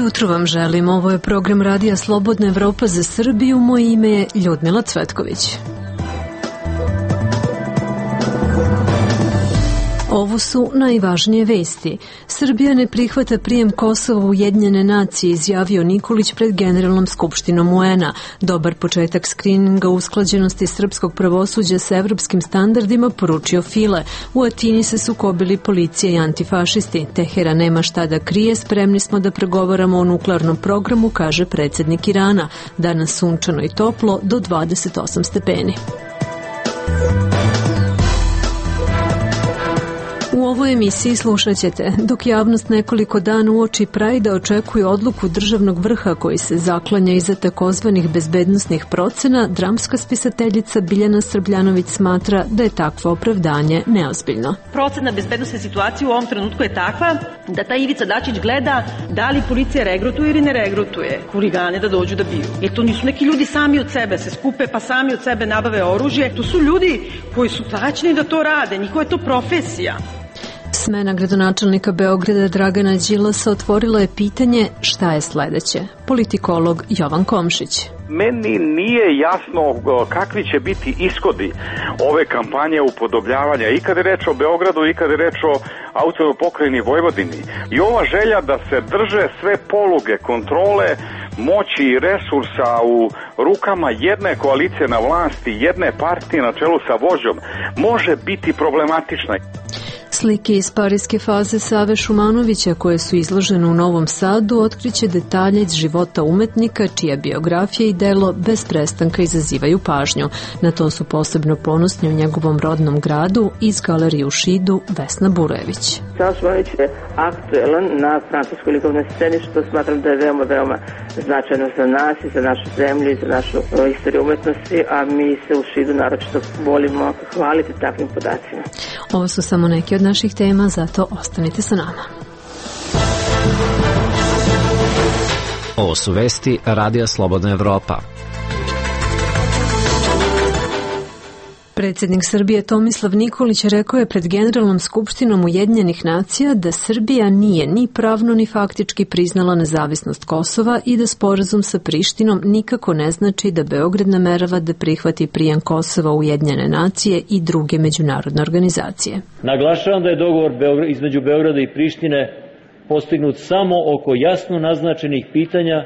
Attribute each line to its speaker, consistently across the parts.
Speaker 1: jutro vam želim. Ovo je program Radija Slobodna Evropa za Srbiju. Moje ime je Ljudmila Cvetković. Ovo su najvažnije vesti. Srbija ne prihvata prijem Kosova u Ujedinjene nacije, izjavio Nikolić pred Generalnom skupštinom UN-a. Dobar početak skrininga usklađenosti srpskog pravosuđa sa evropskim standardima, poručio File. U Atini se sukobili policija i antifašisti. Teheran nema šta da krije, spremni smo da pregovaramo o nuklearnom programu, kaže predsjednik Irana. Danas sunčano i toplo do 28 stepeni. U ovoj emisiji slušat ćete, dok javnost nekoliko dana uoči Prajda očekuje odluku državnog vrha koji se zaklanja iza takozvanih bezbednosnih procena, dramska spisateljica Biljana Srbljanović smatra da je takvo opravdanje neozbiljno.
Speaker 2: Procena bezbednosne situacije u ovom trenutku je takva da ta Ivica Dačić gleda da li policija regrutuje ili ne regrutuje huligane da dođu da biju. Jer to nisu neki ljudi sami od sebe se skupe pa sami od sebe nabave oružje. To su ljudi koji su plaćeni da to rade, njihova je to profesija.
Speaker 1: Smena gradonačelnika Beograda Dragana Đilasa otvorila je pitanje šta je sledeće. Politikolog Jovan Komšić.
Speaker 3: Meni nije jasno kakvi će biti ishodi ove kampanje upodobljavanja i kad je reč o Beogradu i kad je reč o autonomnoj pokrajini Vojvodini. I ova želja da se drže sve poluge kontrole moći i resursa u rukama jedne koalicije na vlasti, jedne partije na čelu sa vođom, može biti problematična.
Speaker 1: Slike iz parijske faze Save Šumanovića koje su izložene u Novom Sadu otkriće detalje iz života umetnika čija biografija i delo bez prestanka izazivaju pažnju. Na to su posebno ponosni u njegovom rodnom gradu iz galerije u Šidu Vesna Burojević.
Speaker 4: Sava Šumanović je aktuelan na francuskoj likovnoj sceni što smatram da je veoma značajno za nas i za našu zemlju i za našu istoriju umetnosti, a mi se u Šidu naročito volimo hvaliti takvim podacima.
Speaker 1: Ovo su samo neki od naših tema, zato ostanite sa nama.
Speaker 5: Ovo su vesti Radija Slobodna Evropa.
Speaker 1: Predsjednik Srbije Tomislav Nikolić rekao je pred Generalnom skupštinom Ujedinjenih nacija da Srbija nije ni pravno ni faktički priznala nezavisnost Kosova i da sporazum sa Prištinom nikako ne znači da Beograd namerava da prihvati prijem Kosova u Ujedinjene nacije i druge međunarodne organizacije.
Speaker 6: Naglašavam da je dogovor između Beograda i Prištine postignut samo oko jasno naznačenih pitanja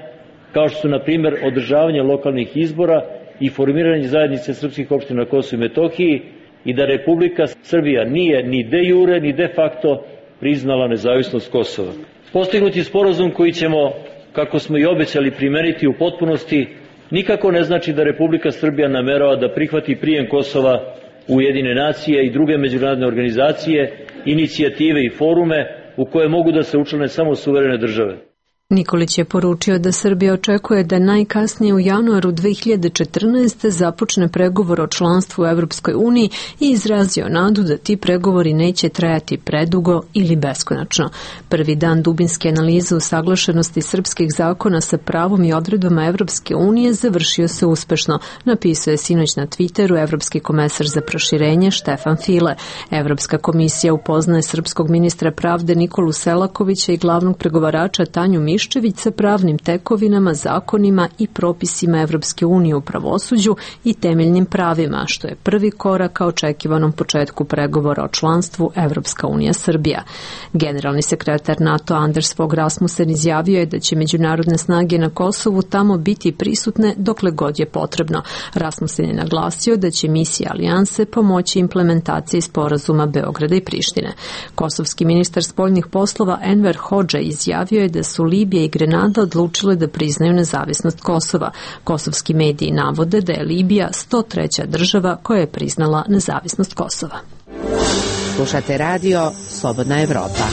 Speaker 6: kao što su na primjer održavanje lokalnih izbora i formiranje zajednice srpskih opština na Kosovu i Metohiji i da Republika Srbija nije ni de jure ni de facto priznala nezavisnost Kosova. Postignuti sporazum koji ćemo, kako smo i obećali, primeniti u potpunosti, nikako ne znači da Republika Srbija namerava da prihvati prijem Kosova u Ujedinjene nacije i druge međunarodne organizacije, inicijative i forume u koje mogu da se učlane samo suverene države.
Speaker 1: Nikolić je poručio da Srbija očekuje da najkasnije u januaru 2014. započne pregovor o članstvu u Evropskoj uniji i izrazio nadu da ti pregovori neće trajati predugo ili beskonačno. Prvi dan dubinske analize usaglašenosti srpskih zakona sa pravom i odredbama Evropske unije završio se uspešno, napisao je sinoć na Twitteru evropski komesar za proširenje Štefan File. Evropska komisija upoznaje srpskog ministra pravde Nikolu Selakovića i glavnog pregovarača Tanju Miščević sa pravnim tekovinama, zakonima i propisima Evropske unije u pravosuđu i temeljnim pravima, što je prvi korak ka očekivanom početku pregovora o članstvu Evropska unija Srbija. Generalni sekretar NATO Anders Fogh Rasmussen izjavio je da će međunarodne snage na Kosovu tamo biti prisutne dokle god je potrebno. Rasmussen je naglasio da će misija alijanse pomoći implementaciji sporazuma Beograda i Prištine. Kosovski ministar spoljnih poslova Enver Hodža izjavio je da su Libija i Grenada odlučile da priznaju nezavisnost Kosova. Kosovski mediji navode da je Libija 103. država koja je priznala nezavisnost Kosova.
Speaker 7: Slušate radio Slobodna Evropa.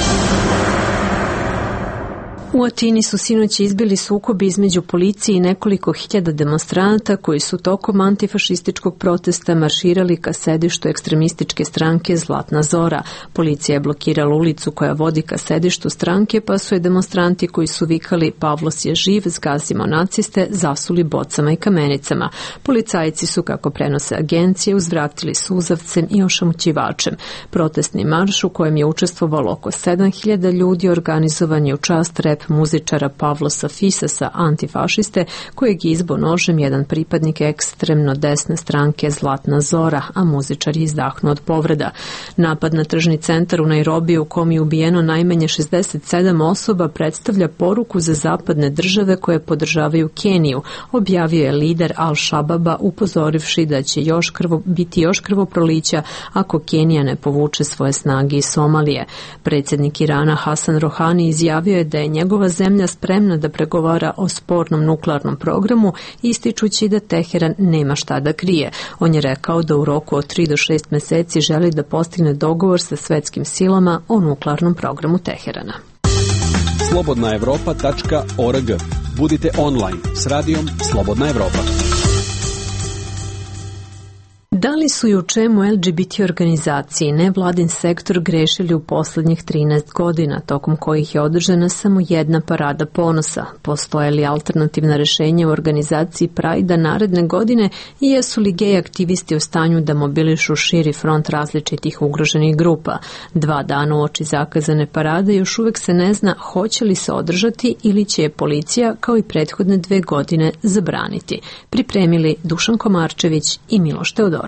Speaker 1: U Atini su sinoć izbili sukobi između policije i nekoliko hiljada demonstranata koji su tokom antifašističkog protesta marširali ka sedištu ekstremističke stranke Zlatna Zora. Policija je blokirala ulicu koja vodi ka sedištu stranke, pa su je demonstranti koji su vikali Pavlos je živ, zgazimo naciste, zasuli bocama i kamenicama. Policajci su, kako prenose agencije, uzvratili suzavcem i ošamućivačem. Protestni marš u kojem je učestvovalo oko 7000 ljudi organizovan je u čast rep muzičara Pavlosa Fisasa, antifašiste, kojeg je izbo nožem jedan pripadnik ekstremno desne stranke Zlatna Zora, a muzičar je izdahnuo od povreda. Napad na tržni centar u Nairobiju u kom je ubijeno najmanje 67 osoba predstavlja poruku za zapadne države koje podržavaju Keniju, objavio je lider Al-Shababa, upozorivši da će biti još krvoprolića ako Kenija ne povuče svoje snage iz Somalije. Predsjednik Irana Hasan Rohani izjavio je da je njegova zemlja spremna da pregovara o spornom nuklearnom programu, ističući da Teheran nema šta da krije. On je rekao da u roku od 3 do 6 meseci želi da postigne dogovor sa svetskim silama o nuklearnom programu Teherana.
Speaker 8: Slobodnaevropa.org. Budite online s radijom Slobodna Evropa.
Speaker 1: Da li su i u čemu LGBT organizacije i nevladin sektor grešili u poslednjih 13 godina, tokom kojih je održana samo jedna parada ponosa? Postoje li alternativna rešenja u organizaciji Pride-a naredne godine i jesu li gej aktivisti u stanju da mobilišu širi front različitih ugroženih grupa? 2 dana uoči zakazane parade još uvek se ne zna hoće li se održati ili će je policija, kao i prethodne 2 godine, zabraniti. Pripremili Dušan Komarčević i Miloš Teodorović.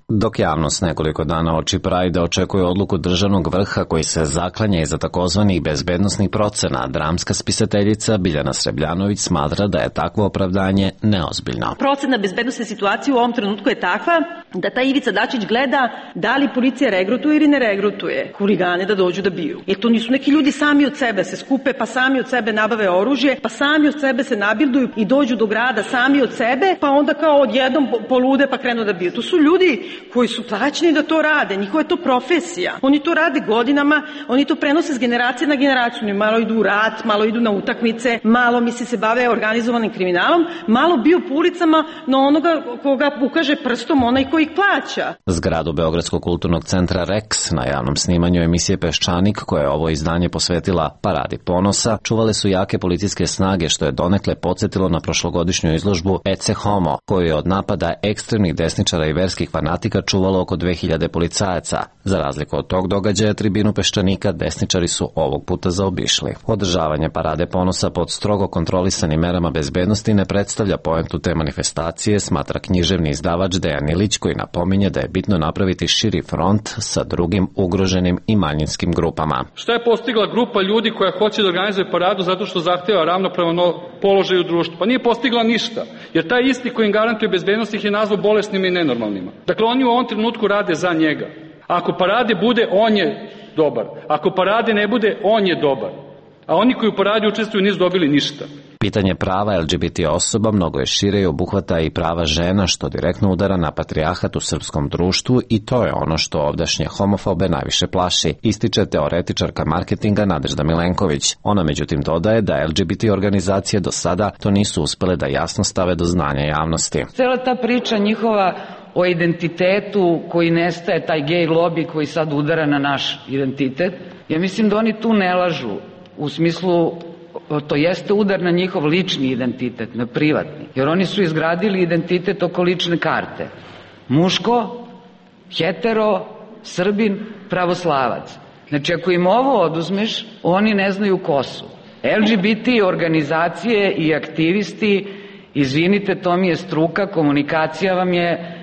Speaker 5: Dok javnost nekoliko dana oči Prajda očekuje odluku državnog vrha koji se zaklanja iza takozvanih bezbednosnih procena, dramska spisateljica Biljana Srebljanović smatra da je takvo opravdanje neozbiljno.
Speaker 2: Procena bezbednosne situacije u ovom trenutku je takva da ta Ivica Dačić gleda da li policija regrutuje ili ne regrutuje huligane da dođu da biju. Jer to nisu neki ljudi sami od sebe se skupe, pa sami od sebe nabave oružje, pa sami od sebe se nabilduju i dođu do grada sami od sebe, pa onda kao odjednom polude pa krenu da biju. To su ljudi koji su plaćeni da to rade, njihova je to profesija. Oni to rade godinama, oni to prenose s generacije na generaciju. Oni malo idu u rat, malo idu na utakmice, malo se bave organizovanim kriminalom, malo biju po ulicama na onoga koga ukaže prstom onaj koji ih plaća.
Speaker 5: Zgradu Beogradskog kulturnog centra Rex na javnom snimanju emisije Peščanik, koja je ovo izdanje posvetila Paradi ponosa, čuvale su jake policijske snage, što je donekle podsjetilo na prošlogodišnju izložbu Ecce Homo, koju je od napada ekstremnih desničara i verskih fanatika čuvalo oko 2000 policajaca. Za razliku od tog događaja, tribinu Peščanika desničari su ovog puta zaobišli. Održavanje Parade ponosa pod strogo kontrolisanim merama bezbednosti ne predstavlja poentu te manifestacije, smatra književni izdavač Dejan Ilić, koji napominje da je bitno napraviti širi front sa drugim ugroženim i manjinskim grupama.
Speaker 9: Šta je postigla grupa ljudi koja hoće da organizuje paradu zato što zahteva ravnopravan položaj u društvu? Pa nije postigla ništa, jer taj isti koji im garantuje bezbednost ih je nazvao bolesnima i nenormalnima. Dakle, oni u ovom trenutku rade za njega. Ako parade bude, on je dobar. Ako parade ne bude, on je dobar. A oni koji u paradi učestvuju nisu dobili ništa.
Speaker 5: Pitanje prava LGBT osoba mnogo je šire i obuhvata i prava žena, što direktno udara na patrijarhat u srpskom društvu, i to je ono što ovdašnje homofobe najviše plaši, ističe teoretičarka marketinga Nadežda Milenković. Ona međutim dodaje da LGBT organizacije do sada to nisu uspele da jasno stave do znanja javnosti.
Speaker 10: Cela ta priča njihova o identitetu koji nestaje, taj gej lobby koji sad udara na naš identitet, ja mislim da oni tu ne lažu, u smislu to jeste udar na njihov lični identitet, na privatni, jer oni su izgradili identitet oko lične karte. Muško, hetero, Srbin, pravoslavac. Znači, ako im ovo oduzmeš, oni ne znaju ko su. LGBT organizacije i aktivisti, izvinite, to mi je struka, komunikacija vam je,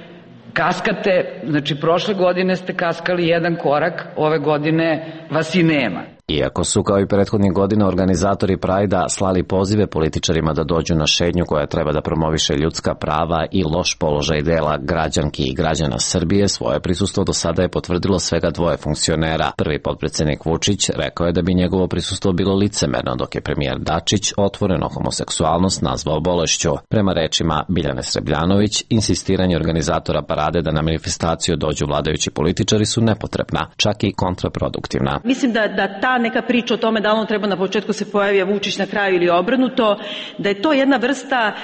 Speaker 10: kaskate, znači prošle godine ste kaskali jedan korak, ove godine vas i nema.
Speaker 5: Iako su kao i prethodnih godina organizatori Prajda slali pozive političarima da dođu na šetnju koja treba da promoviše ljudska prava i loš položaj dela građanki i građana Srbije, svoje prisustvo do sada je potvrdilo svega 2 funkcionera. Prvi potpredsednik Vučić rekao je da bi njegovo prisustvo bilo licemerno, dok je premijer Dačić otvoreno homoseksualnost nazvao bolešću. Prema rečima Biljane Srebljanović, insistiranje organizatora parade da na manifestaciju dođu vladajući političari su nepotrebna, čak i kontraproduktivna.
Speaker 2: Mislim da ta neka priča o tome da on treba na početku se pojavi, a Vučić na kraju ili obrnuto, da je to jedna vrsta,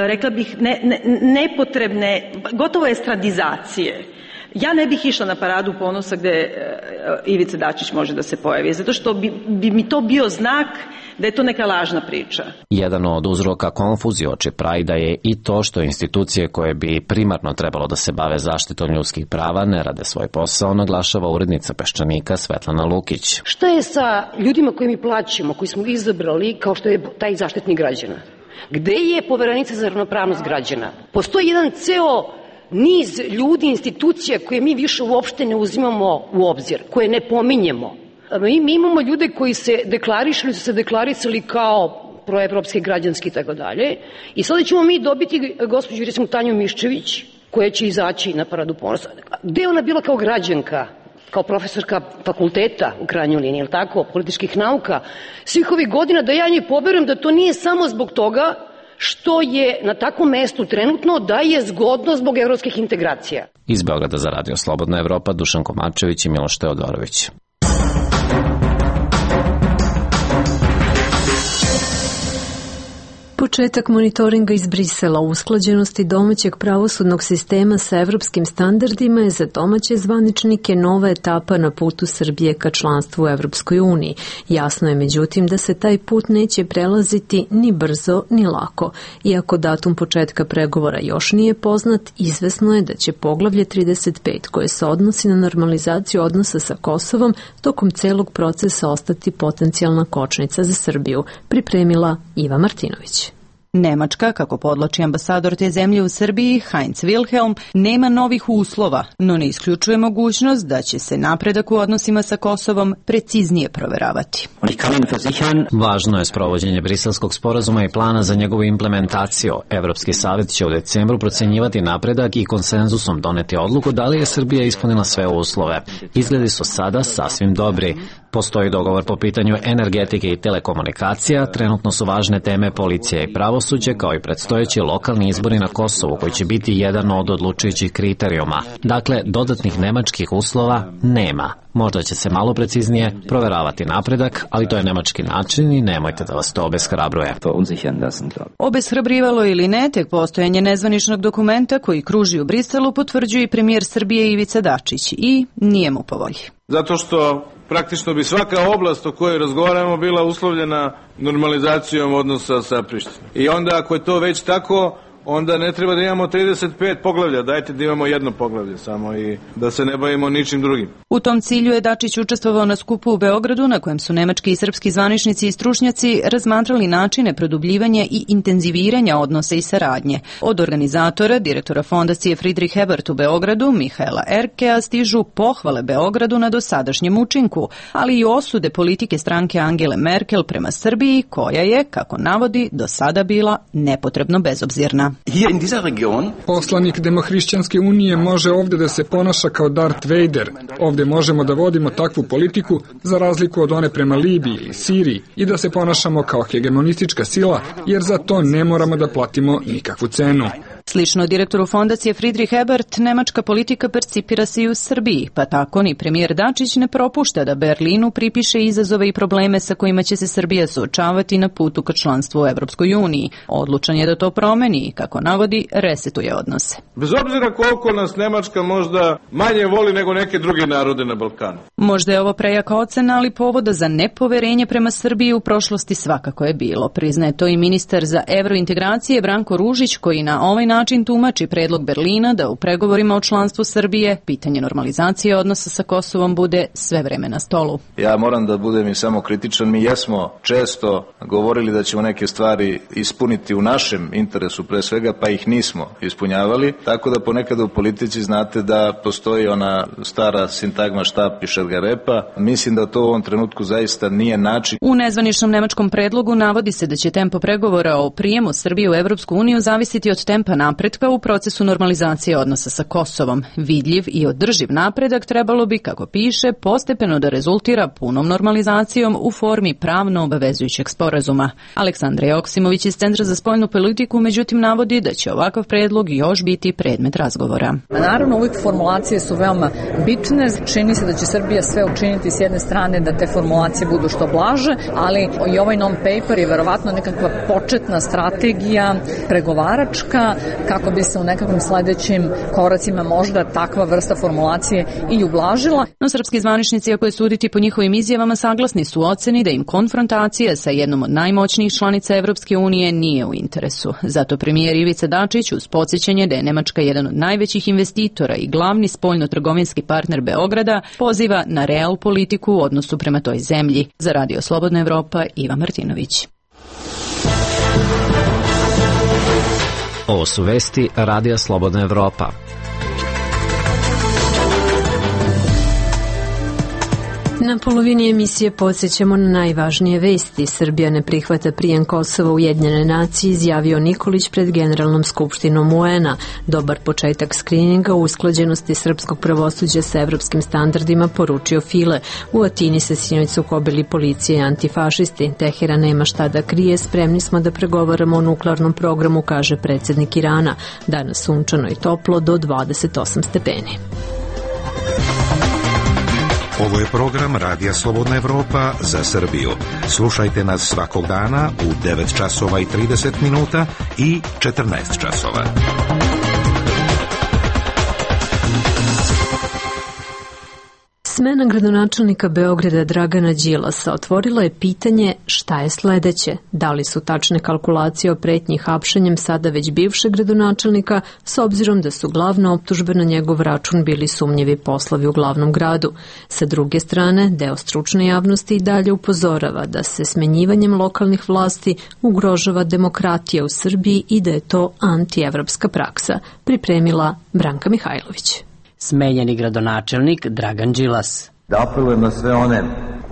Speaker 2: rekla bih, nepotrebne, gotovo estradizacije. Ja ne bih išla na paradu ponosa gde Ivica Dačić može da se pojavi, zato što bi mi to bio znak da je to neka lažna priča.
Speaker 5: Jedan od uzroka konfuzije oči Prajda je i to što institucije koje bi primarno trebalo da se bave zaštitom ljudskih prava ne rade svoj posao, naglašava urednica Peščanika Svetlana Lukić.
Speaker 11: Šta je sa ljudima koji mi plaćamo, koji smo izabrali kao što je taj Zaštitnik građana? Gde je Poverenica za ravnopravnost građana? Postoji jedan ceo niz ljudi, institucija koje mi više uopšte ne uzimamo u obzir, koje ne pominjemo. Mi imamo ljude koji se deklarišali, su se deklarisali kao proevropski, građanski i tako dalje. I sada ćemo mi dobiti gospođu, recimo, Tanju Miščević, koja će izaći na Paradu ponosa. Gde je ona bila kao građanka, kao profesorka fakulteta u krajnjoj liniji, je li tako, političkih nauka, svih ovih godina, da ja njih poberujem da to nije samo zbog toga što je na takvom mestu trenutno, da je zgodno zbog evropskih integracija.
Speaker 5: Iz Beograda za Radio Slobodna Evropa, Dušan Komačević i Miloš Teodorović.
Speaker 1: Početak monitoringa iz Brisela o usklađenosti domaćeg pravosudnog sistema sa evropskim standardima je za domaće zvaničnike nova etapa na putu Srbije ka članstvu u Evropskoj uniji. Jasno je međutim da se taj put neće prelaziti ni brzo ni lako. Iako datum početka pregovora još nije poznat, izvesno je da će poglavlje 35 koje se odnosi na normalizaciju odnosa sa Kosovom tokom celog procesa ostati potencijalna kočnica za Srbiju, pripremila Iva Martinović.
Speaker 12: Nemačka, kako podlači ambasador te zemlje u Srbiji, Heinz Wilhelm, nema novih uslova, no ne isključuje mogućnost da će se napredak u odnosima sa Kosovom preciznije proveravati.
Speaker 5: Važno je sprovođenje Briselskog sporazuma i plana za njegovu implementaciju. Evropski savjet će u decembru procenjivati napredak i konsenzusom doneti odluku da li je Srbija ispunila sve uslove. Izgledi su sada sasvim dobri. Postoji dogovor po pitanju energetike i telekomunikacija, trenutno su važne teme policija i pravosuđe, kao i predstojeći lokalni izbori na Kosovu, koji će biti jedan od odlučujućih kriterijuma. Dakle, dodatnih nemačkih uslova nema. Možda će se malo preciznije proveravati napredak, ali to je nemački način i nemojte da vas to obeshrabruje.
Speaker 12: Obeshrabrivalo ili ne, tek postojanje nezvaničnog dokumenta koji kruži u Briselu potvrđuje i premijer Srbije Ivica Dačić i nije mu po volji.
Speaker 13: Zato što praktično bi svaka oblast o kojoj razgovaramo bila uslovljena normalizacijom odnosa sa Prištinom. I onda ako je to već tako, onda ne treba da imamo 35 poglavlja, dajte da imamo jedno poglavlje samo i da se ne bavimo ničim drugim.
Speaker 12: U tom cilju je Dačić učestvovao na skupu u Beogradu na kojem su nemački i srpski zvaničnici i stručnjaci razmatrali načine produbljivanja i intenziviranja odnosa i saradnje. Od organizatora, direktora fondacije Friedrich Ebert u Beogradu, Mihaela Erkea, stižu pohvale Beogradu na dosadašnjem učinku, ali i osude politike stranke Angele Merkel prema Srbiji, koja je, kako navodi, do sada bila nepotrebno bezobzirna.
Speaker 14: Poslanik Demohrišćanske unije može ovdje da se ponaša kao Darth Vader. Ovdje možemo da vodimo takvu politiku za razliku od one prema Libiji ili Siriji i da se ponašamo kao hegemonistička sila, jer za to ne moramo da platimo nikakvu cenu.
Speaker 12: Slično direktoru fondacije Friedrich Ebert, nemačka politika percipira se i u Srbiji, pa tako ni premijer Dačić ne propušta da Berlinu pripiše izazove i probleme sa kojima će se Srbija suočavati na putu ka članstvu u Evropskoj uniji. Odlučan je da to promeni i, kako navodi, resetuje odnose.
Speaker 13: Bez obzira koliko nas Nemačka možda manje voli nego neke druge narode na Balkanu.
Speaker 12: Možda je ovo prejaka ocena, ali povoda za nepoverenje prema Srbiji u prošlosti svakako je bilo. Priznaje to i ministar za evrointegracije Branko Ružić, koji na ovaj način tumači predlog Berlina da u pregovorima o članstvu Srbije pitanje normalizacije odnosa sa Kosovom bude sve vreme na stolu.
Speaker 15: Ja moram da budem i samo kritičan. Mi jesmo često govorili da ćemo neke stvari ispuniti u našem interesu pre svega, pa ih nismo ispunjavali, tako da ponekada u politici znate da postoji ona stara sintagma štap i šargarepa. Mislim da to u ovom trenutku zaista nije način.
Speaker 12: U nezvaničnom nemačkom predlogu navodi se da će tempo pregovora o prijemu Srbije u Evropsku uniju zavisiti od tempa napretka u procesu normalizacije odnosa sa Kosovom. Vidljiv i održiv napredak trebalo bi, kako piše, postepeno da rezultira punom normalizacijom u formi pravno obavezujućeg sporazuma. Aleksandra Joksimović iz Centra za spoljnu politiku međutim navodi da će ovakav predlog još biti predmet razgovora.
Speaker 16: Naravno, uvijek formulacije su veoma bitne. Čini se da će Srbija sve učiniti s jedne strane da te formulacije budu što blaže, ali i ovaj non-paper je verovatno nekakva početna strategija pregovaračka kako bi se u nekakvim sledećim koracima možda takva vrsta formulacije i ublažila.
Speaker 12: No srpski zvaničnici, ako je suditi po njihovim izjavama, saglasni su oceni da im konfrontacija sa jednom od najmoćnijih članica Evropske unije nije u interesu. Zato premijer Ivica Dačić, uz podsjećanje da je Nemačka jedan od najvećih investitora i glavni spoljno-trgovinski partner Beograda, poziva na real politiku u odnosu prema toj zemlji. Za Radio Slobodna Evropa, Iva Martinović.
Speaker 5: Ovo su vesti Radija Slobodna Evropa.
Speaker 1: Na polovini emisije podsjećamo na najvažnije vesti. Srbija ne prihvata prijem Kosova u Ujedinjene nacije, izjavio Nikolić pred Generalnom skupštinom UN-a. Dobar početak skrininga u usklađenosti srpskog pravosuđa sa evropskim standardima, poručio File. U Atini se sinoć sukobili policije i antifašisti. Teheran nema šta da krije, spremni smo da pregovaramo o nuklearnom programu, kaže predsjednik Irana. Danas sunčano i toplo do 28 stepeni.
Speaker 17: Ovo je program Radija Slobodna Evropa za Srbiju. Slušajte nas svakog dana u 9 časova i 30 minuta i 14 časova.
Speaker 1: Smena gradonačelnika Beograda Dragana Đilasa otvorila je pitanje šta je sledeće. Da li su tačne kalkulacije o pretnji hapšenjem sada već bivšeg gradonačelnika, s obzirom da su glavna optužbe na njegov račun bili sumnjivi poslovi u glavnom gradu. Sa druge strane, deo stručne javnosti i dalje upozorava da se smenjivanjem lokalnih vlasti ugrožava demokratija u Srbiji i da je to antievropska praksa, pripremila Branka Mihajlović.
Speaker 18: Smenjeni gradonačelnik Dragan Đilas.
Speaker 19: Da apelujem na sve one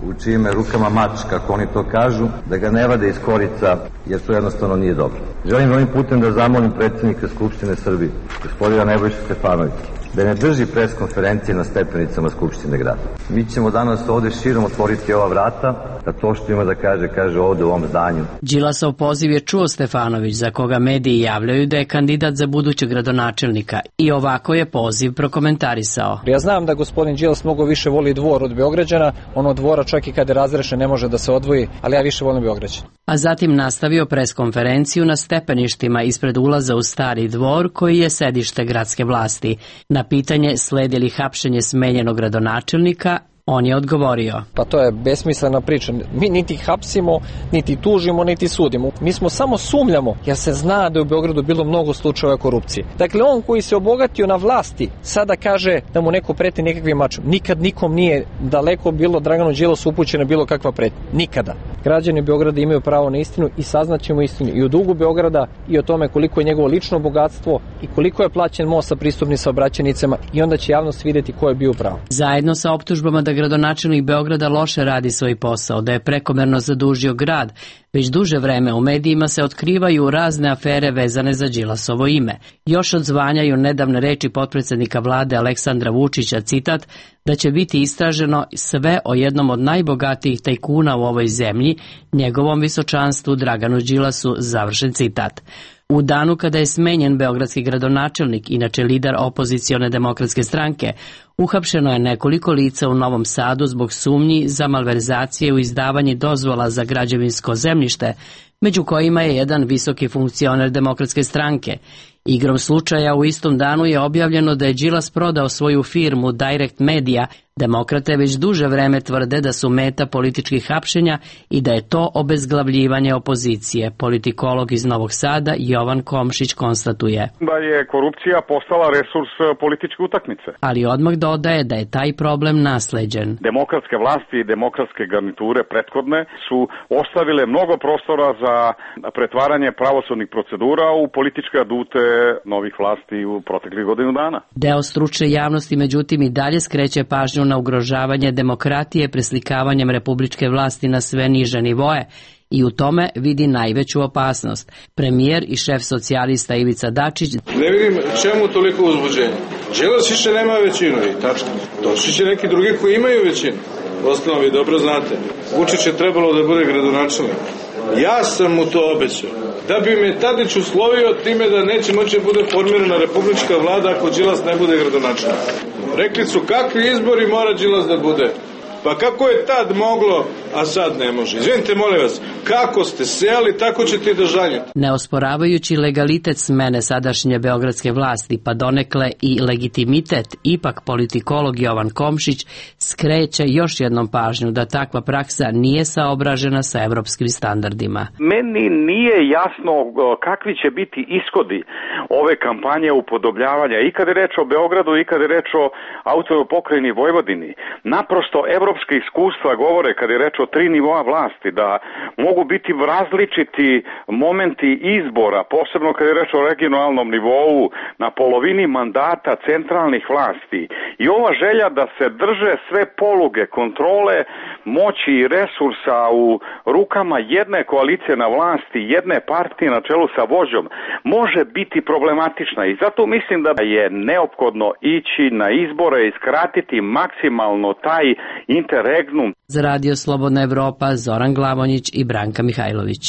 Speaker 19: u čijim rukama mač, kako oni to kažu, da ga ne vade iz korica, jer to jednostavno nije dobro. Želim ovim putem da zamolim predsjednika Skupštine Srbije, gospodina Nebojšu Stefanovića, da ne drži pres konferencije na stepenicama Skupštine grada. Mi ćemo danas ovde širom otvoriti ova vrata, da to što ima da kaže ovde u ovom zdanju.
Speaker 18: Đilasov poziv je čuo Stefanović, za koga mediji javljaju da je kandidat za budućeg gradonačelnika, i ovako je poziv prokomentarisao.
Speaker 20: Ja znam da gospodin Đilas mnogo više voli Dvor od Beograđana, on od Dvora čak i kada je razrešen ne može da se odvoji, ali ja više volim Beograđana.
Speaker 18: A zatim nastavio preskonferenciju na stepeništima ispred ulaza u Stari Dvor, koji je sedište gradske vlasti. Na pitanje sledi li hapšenje smenjenog gradonačelnika, on je odgovorio.
Speaker 20: Pa to je besmislena priča. Mi niti hapsimo, niti tužimo, niti sudimo. Mi smo samo sumljamo, jer se zna da je u Beogradu bilo mnogo slučajeva korupcije. Dakle, on koji se obogatio na vlasti, sada kaže da mu neko preti nekakvim mačom. Nikad nikom nije daleko bilo Draganu Đilasu upućena bilo kakva pretnja. Nikada. Građani Beograda imaju pravo na istinu i saznaćemo istinu i o dugu Beograda i o tome koliko je njegovo lično bogatstvo i koliko je plaćen most sa pristupnim saobraćajnicama, i onda će javnost vidjeti ko je bio pravo.
Speaker 18: Zajedno sa optužbama da gradonačelnik Beograda loše radi svoj posao, da je prekomerno zadužio grad, već duže vreme u medijima se otkrivaju razne afere vezane za Đilasovo ime. Još odzvanjaju nedavne reči potpredsednika vlade Aleksandra Vučića, citat, da će biti istraženo sve o jednom od najbogatijih tajkuna u ovoj zemlji, njegovom visočanstvu Draganu Đilasu, završen citat. U danu kada je smenjen beogradski gradonačelnik, inače lider opozicione demokratske stranke, uhapšeno je nekoliko lica u Novom Sadu zbog sumnji za malverzacije u izdavanju dozvola za građevinsko zemljište, među kojima je jedan visoki funkcioner demokratske stranke. Igrom slučaja u istom danu je objavljeno da je Đilas prodao svoju firmu Direct Media. Demokrate već duže vreme tvrde da su meta političkih hapšenja i da je to obezglavljivanje opozicije. Politikolog iz Novog Sada Jovan Komšić konstatuje
Speaker 3: da je korupcija postala resurs političke utakmice.
Speaker 18: Ali odmah dodaje da je taj problem nasleđen.
Speaker 3: Demokratske vlasti i demokratske garniture prethodne su ostavile mnogo prostora za pretvaranje pravosudnih procedura u političke adute novih vlasti u proteklih godinu dana.
Speaker 18: Deo stručne javnosti međutim i dalje skreće pažnju na ugrožavanje demokratije preslikavanjem republičke vlasti na sve niže nivoe i u tome vidi najveću opasnost. Premijer i šef socijalista Ivica Dačić:
Speaker 13: Ne vidim čemu toliko uzbuđenje. Đilas više nema većinu i tačno. Došli će neki drugi koji imaju većinu. Ostalo vi dobro znate. Vučić je trebalo da bude gradonačelnik. Ja sam mu to obećao. Da bi me Tadić uslovio time da neće moći da bude formirana republička vlada ako Đilas ne bude gradonačelnik. Rekli su kakvi izbori mora Đilas da bude. Pa kako je tad moglo a sad ne može. Izvinite, molim vas, kako ste sejali, tako ćete i da žanjete.
Speaker 18: Ne osporavajući legalitet smene sadašnje beogradske vlasti, pa donekle i legitimitet, ipak politikolog Jovan Komšić skreće još jednom pažnju da takva praksa nije saobražena sa evropskim standardima.
Speaker 3: Meni nije jasno kakvi će biti ishodi ove kampanje upodobljavanja i kada je reč o Beogradu i kada je reč o autonomnoj pokrajini Vojvodini. Naprosto evropske iskustva govore kada je reč o 3 nivoa vlasti da mogu biti različiti momenti izbora, posebno kada je reč o regionalnom nivou na polovini mandata centralnih vlasti. I ova želja da se drže sve poluge kontrole moći i resursa u rukama jedne koalicije na vlasti, jedne partije na čelu sa vođom, može biti problematična i zato mislim da je neophodno ići na izbore i skratiti maksimalno taj interregnum.
Speaker 18: Za Radio Slobodna Evropa, Zoran Glavonjić i Branka Mihajlović.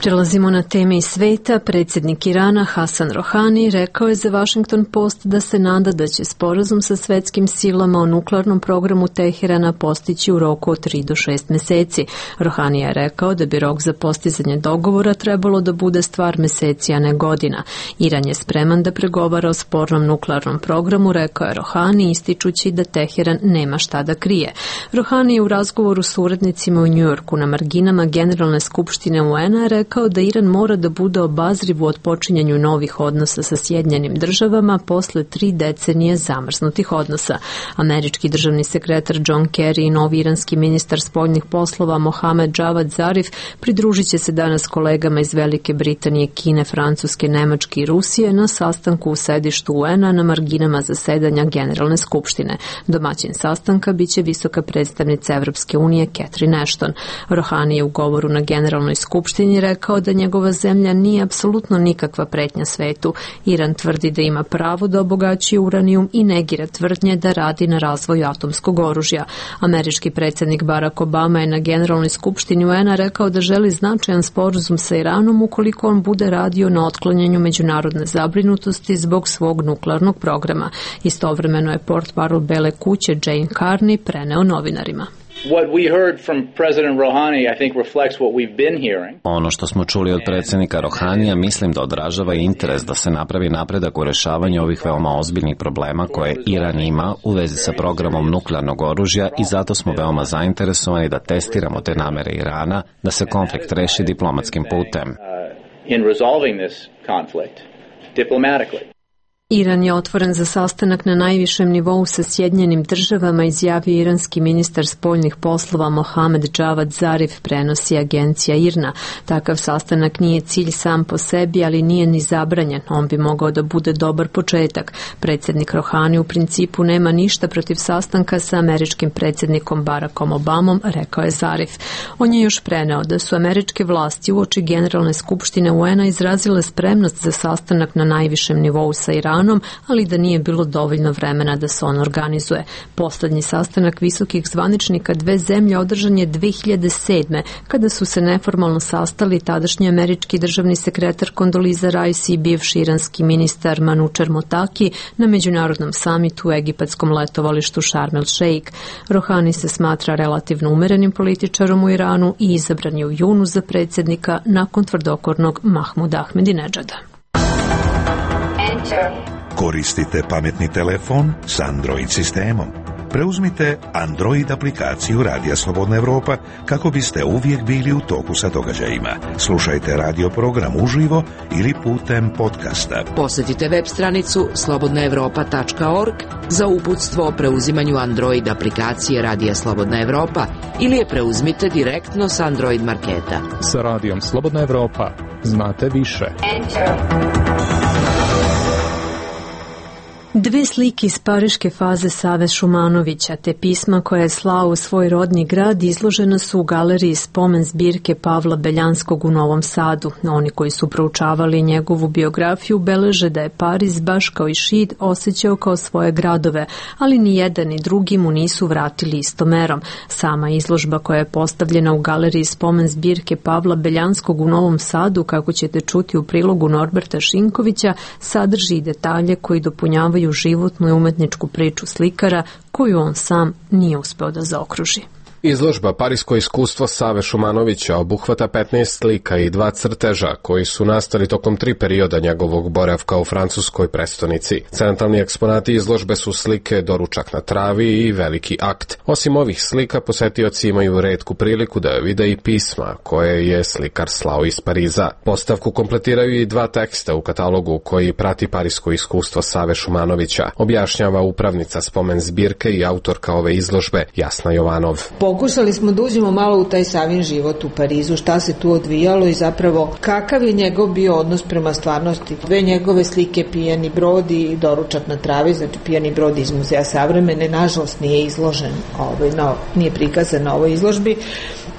Speaker 1: Prelazimo na teme iz sveta. Predsjednik Irana Hasan Rohani rekao je za Washington Post da se nada da će sporazum sa svetskim silama o nuklearnom programu Teherana postići u roku od 3 do 6 meseci. Rohani je rekao da bi rok za postizanje dogovora trebalo da bude stvar meseci, a ne godina. Iran je spreman da pregovara o spornom nuklearnom programu, rekao je Rohani, ističući da Teheran nema šta da krije. Rohani je u razgovoru s urednicima u Njujorku na marginama Generalne skupštine UN-a rekao da Iran mora da bude obazriv u otpočinjanju novih odnosa sa Sjedinjenim državama posle 3 decenije zamrznutih odnosa. Američki državni sekretar John Kerry i novi iranski ministar spoljnih poslova Mohamed Javad Zarif pridružit će se danas kolegama iz Velike Britanije, Kine, Francuske, Nemačke i Rusije na sastanku u sedištu UN-a na marginama zasedanja Generalne skupštine. Domaćin sastanka biće visoka predstavnica Evropske unije Catherine Ashton. Rohani je u govoru na Generalnoj skupštini rekao da njegova zemlja nije apsolutno nikakva pretnja svetu. Iran tvrdi da ima pravo da obogaćuje uranijum i negira tvrdnje da radi na razvoju atomskog oružja. Američki predsjednik Barack Obama je na Generalnoj skupštini UN-a rekao da želi značajan sporazum sa Iranom ukoliko on bude radio na otklanjanju međunarodne zabrinutosti zbog svog nuklearnog programa. Istovremeno je portparol Bele kuće Jane Carney preneo novinarima.
Speaker 5: Ono što smo čuli od predsjednika Rohanija mislim da odražava interes da se napravi napredak u rešavanju ovih veoma ozbiljnih problema koje Iran ima u vezi sa programom nuklearnog oružja i zato smo veoma zainteresovani da testiramo te namere Irana da se konflikt reši diplomatskim putem.
Speaker 1: Iran je otvoren za sastanak na najvišem nivou sa Sjedinjenim državama, izjavio iranski ministar spoljnih poslova Mohamed Javad Zarif, prenosi agencija IRNA. Takav sastanak nije cilj sam po sebi, ali nije ni zabranjen. On bi mogao da bude dobar početak. Predsjednik Rohani u principu nema ništa protiv sastanka sa američkim predsjednikom Barackom Obamom, rekao je Zarif. On je još preneo da su američke vlasti uoči Generalne skupštine UN-a izrazile spremnost za sastanak na najvišem nivou sa Iranom, ali da nije bilo dovoljno vremena da se on organizuje. Poslednji sastanak visokih zvaničnika dve zemlje održan je 2007. kada su se neformalno sastali tadašnji američki državni sekretar Kondoliza Rice i bivši iranski ministar Manučer Motaki na međunarodnom samitu u egipatskom letovalištu Sharm el Sheikh. Rohani se smatra relativno umerenim političarom u Iranu i izabran je u junu za predsjednika nakon tvrdokornog Mahmuda Ahmedinedžada.
Speaker 17: Koristite pametni telefon s Android sistemom. Preuzmite Android aplikaciju Radija Slobodna Evropa kako biste uvijek bili u toku sa događajima. Slušajte radio program uživo ili putem podcasta.
Speaker 7: Posjetite web stranicu slobodnaevropa.org za uputstvo o preuzimanju Android aplikacije Radija Slobodna Evropa ili je preuzmite direktno s Android marketa.
Speaker 21: Sa Radijom Slobodna Evropa znate više.
Speaker 1: Dve slike iz pariške faze Save Šumanovića te pisma koje je slao u svoj rodni grad izložena su u galeriji spomen zbirke Pavla Beljanskog u Novom Sadu. Oni koji su proučavali njegovu biografiju beleže da je Pariz, baš kao i Šid, osjećao kao svoje gradove, ali ni jedan ni drugi mu nisu vratili istomerom. Sama izložba koja je postavljena u galeriji spomen zbirke Pavla Beljanskog u Novom Sadu, kako ćete čuti u prilogu Norberta Šinkovića, sadrži i detalje koji dopunjavaju životnu i umetničku priču slikara koju on sam nije uspeo da zaokruži.
Speaker 4: Izložba Parisko iskustvo Save Šumanovića obuhvata 15 slika i 2 crteža koji su nastali tokom 3 perioda njegovog boravka u francuskoj prestonici. Centralni eksponati izložbe su slike Doručak na travi i Veliki akt. Osim ovih slika, posetioci imaju retku priliku da vide i pisma koje je slikar slao iz Pariza. Postavku kompletiraju i 2 teksta u katalogu koji prati Parisko iskustvo Save Šumanovića, objašnjava upravnica spomen zbirke i autorka ove izložbe Jasna Jovanov.
Speaker 22: Pokušali smo da uđemo malo u taj Savin život u Parizu, šta se tu odvijalo i zapravo kakav je njegov bio odnos prema stvarnosti. 2 njegove slike, Pijani brod i Doručak na travi, znači Pijani brod iz Muzeja savremene, nažalost nije izložen, nije prikazan na ovoj izložbi,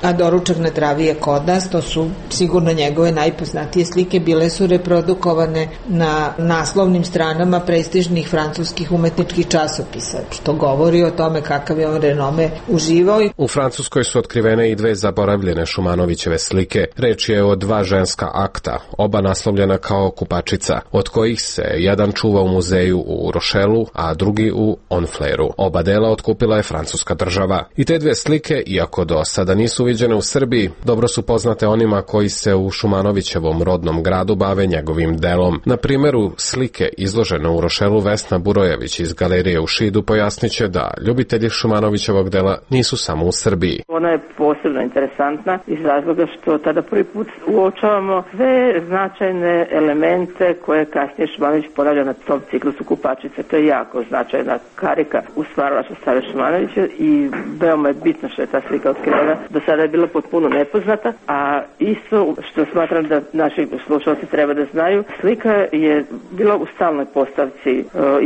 Speaker 22: a Doručak na travi je kod nas, to su sigurno njegove najpoznatije slike, bile su reprodukovane na naslovnim stranama prestižnih francuskih umetničkih časopisa, što govori o tome kakav je on renome uživao.
Speaker 4: U Francuskoj su otkrivene i 2 zaboravljene Šumanovićeve slike. Reč je o 2 ženska akta, oba naslovljena kao kupačica, od kojih se jedan čuva u muzeju u Rošelu, a drugi u Honfleru. Oba dela otkupila je francuska država. I te 2 slike, iako do sada nisu viđene u Srbiji, dobro su poznate onima koji se u Šumanovićevom rodnom gradu bave njegovim delom. Na primjeru slike izložene u Rošelu Vesna Burojević iz galerije u Šidu pojasniće da ljubitelji Šumanovićevog dela nisu samo u Srbiji.
Speaker 23: Ona je posebno interesantna iz razloga što tada prvi put uočavamo sve značajne elemente koje kasnije Šumanović ponavlja na tom ciklusu kupačice. To je jako značajna karika u stvaralaštvu Save Šumanovića i veoma je bitno što je ta slika otkrivena. Do sada je bila potpuno nepoznata, a isto što smatram da naši slušalci treba da znaju, slika je bila u stalnoj postavci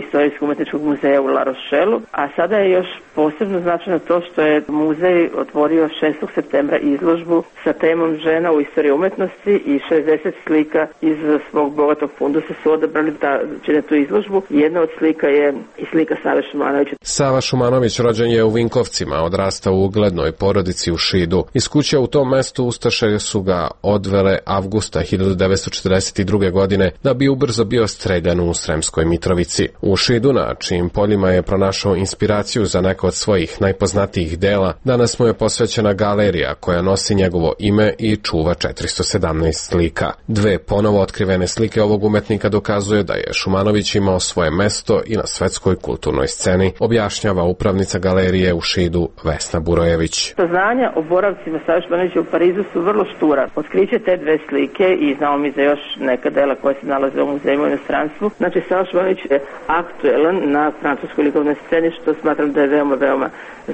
Speaker 23: Istorijsko-umetničkog muzeja u La Rochelu, a sada je još posebno značajno to što je muzej otvorio 6. septembra izložbu sa temom žena u istoriji umetnosti i 60 slika iz svog bogatog fundusa su odabrali da čine tu izložbu. Jedna od slika je i slika Save Šumanovića.
Speaker 4: Sava Šumanović rođen je u Vinkovcima, odrastao u uglednoj porodici u Šidu. Iz kuće u tom mestu ustaše su ga odvele avgusta 1942. godine da bi ubrzo bio streljan u Sremskoj Mitrovici. U Šidu, na čijim poljima je pronašao inspiraciju za neko od svojih najpoznatijih dela, danas mu je posvećena galerija koja nosi njegovo ime i čuva 417 slika. 2 ponovo otkrivene slike ovog umetnika dokazuje da je Šumanović imao svoje mesto i na svetskoj kulturnoj sceni, objašnjava upravnica galerije u Šidu Vesna Burojević.
Speaker 23: Saznanja o boravcima Save Šumanovića u Parizu su vrlo štura. Otkriće te 2 slike i znamo mi za još neka dela koja se nalaze u muzejima u inostranstvu. Znači, Sava Šumanović je aktuelan na francuskoj likovnoj sceni, što smatram da je veoma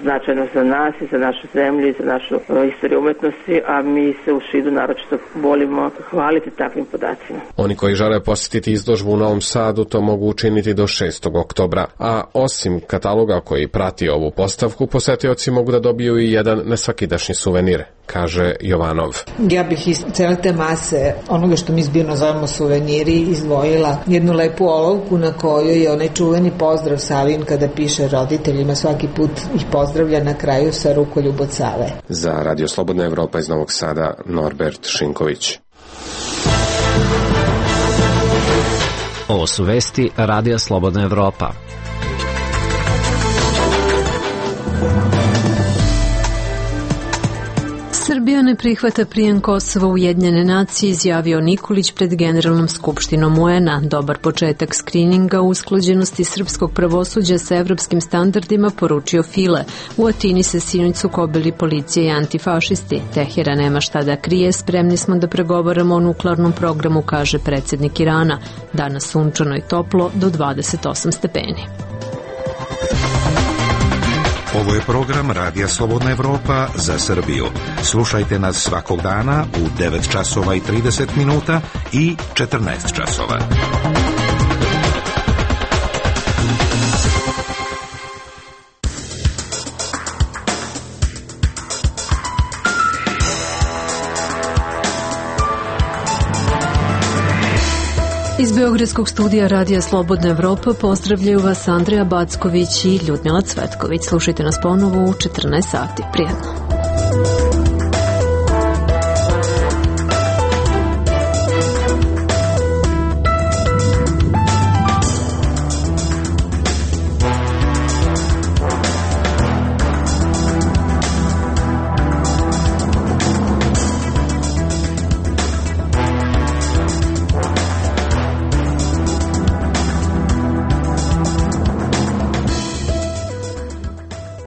Speaker 23: značajno za nas i za našu zemlju i za našu istoriju umetnosti, a mi se u Šidu naročito volimo hvaliti takvim podacima.
Speaker 4: Oni koji žele posjetiti izložbu u Novom Sadu to mogu učiniti do 6. oktobra, a osim kataloga koji prati ovu postavku, posetioci mogu da dobiju i jedan nesvakidašnji suvenir, kaže Jovanov.
Speaker 22: Ja bih iz cele te mase onoga što mi zbirno zovemo suveniri izdvojila jednu lepu olovku na kojoj je onaj čuveni pozdrav Savin kada piše roditeljima, svaki put ih pozdravlja na kraju sa rukoljub od Save.
Speaker 4: Za Radio Slobodna Evropa iz Novog Sada, Norbert Šinković.
Speaker 5: Ovo su vesti Radija Slobodna Evropa.
Speaker 1: Srbija ne prihvata prijem Kosova u Ujedinjene nacije, izjavio Nikolić pred Generalnom skupštinom UN-a. Dobar početak skrininga u usklađenosti srpskog pravosuđa sa evropskim standardima, poručio File. U Atini se sinoć sukobili policija i antifašisti. Teheran nema šta da krije, spremni smo da pregovaramo o nuklearnom programu, kaže predsjednik Irana. Danas sunčano i toplo do 28 stepeni.
Speaker 17: Ovo je program Radija Slobodna Evropa za Srbiju. Slušajte nas svakog dana u 9 časova i 30 minuta i 14 časova.
Speaker 1: Iz Beogradskog studija Radija Slobodna Evropa pozdravljaju vas Andreja Backović i Ljudmila Cvetković. Slušajte nas ponovo u 14 sati. Prijetno.